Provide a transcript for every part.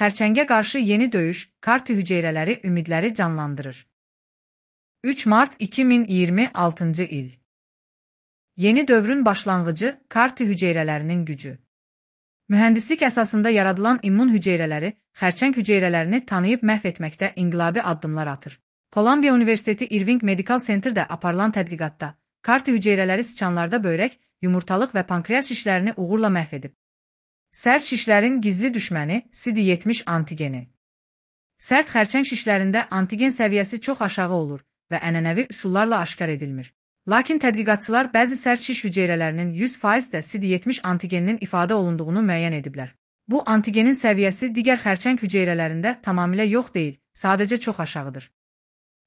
xərçəngə qarşı yeni döyüş, CAR-T hüceyrələri ümidləri canlandırır. 3 mart 2026-cı il. Yeni dövrün başlanğıcı, CAR-T hüceyrələrinin gücü. Mühəndislik əsasında yaradılan immun hüceyrələri, xərçəng hüceyrələrini tanıyıb məhv etməkdə inqilabi addımlar atır. Kolumbiya Universiteti Irving Medical Center'də aparılan tədqiqatda, CAR-T hüceyrələri siçanlarda böyrək, yumurtalıq və pankreas şişlərini uğurla məhv edib. Sərt şişlərin gizli düşməni CD70 antigeni. Sərt xərçəng şişlərində antigen səviyyəsi çox aşağı olur və ənənəvi üsullarla aşkar edilmir. Lakin tədqiqatçılar bəzi sərt şiş hüceyrələrinin 100% də CD70 antigeninin ifadə olunduğunu müəyyən ediblər. Bu antigenin səviyyəsi digər xərçəng hüceyrələrində tamamilə yox deyil, sadəcə çox aşağıdır.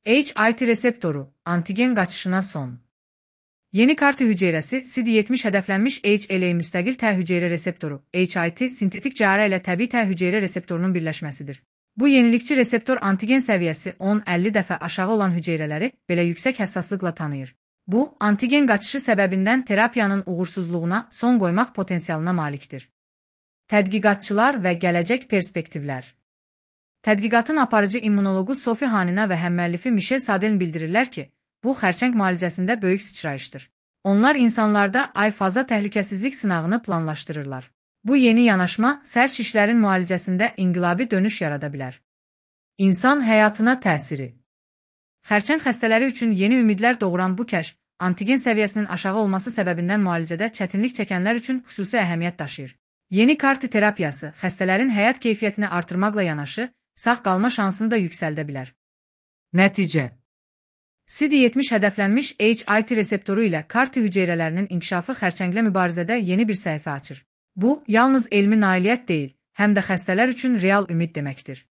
HIT reseptoru, antigen qaçışına son. Yeni CAR-T hüceyrəsi CD70 hədəflənmiş HLA müstəqil T hüceyrə reseptoru, HIT, sintetik cərrə ilə təbii T hüceyrə reseptorunun birləşməsidir. Bu yenilikçi reseptor antigen səviyyəsi 10-50 dəfə aşağı olan hüceyrələri belə yüksək həssaslıqla tanıyır. Bu, antigen qaçışı səbəbindən terapiyanın uğursuzluğuna son qoymaq potensialına malikdir. Tədqiqatçılar və gələcək perspektivlər. Tədqiqatın aparıcı immunologu Sophie Hanina və həmməllifi Michel Sadelin bildirirlər ki, bu xərçəng müalicəsində böyük sıçrayışdır. Onlar insanlarda ay-faza təhlükəsizlik sınağını planlaşdırırlar. Bu yeni yanaşma sərt şişlərin müalicəsində inqilabi dönüş yarada bilər. İnsan həyatına təsiri. Xərçəng xəstələri üçün yeni ümidlər doğuran bu kəşf, antigen səviyyəsinin aşağı olması səbəbindən müalicədə çətinlik çəkənlər üçün xüsusi əhəmiyyət daşıyır. Yeni CAR-T terapiyası xəstələrin həyat keyfiyyətini artırmaqla yanaşı, sağ qalma şansını da yüksəldə bilər. Nəticə. CD70 hədəflənmiş HIT reseptoru ilə CAR-T hüceyrələrinin inkişafı xərçənglə mübarizədə yeni bir səhifə açır. Bu, yalnız elmi nailiyyət deyil, həm də xəstələr üçün real ümid deməkdir.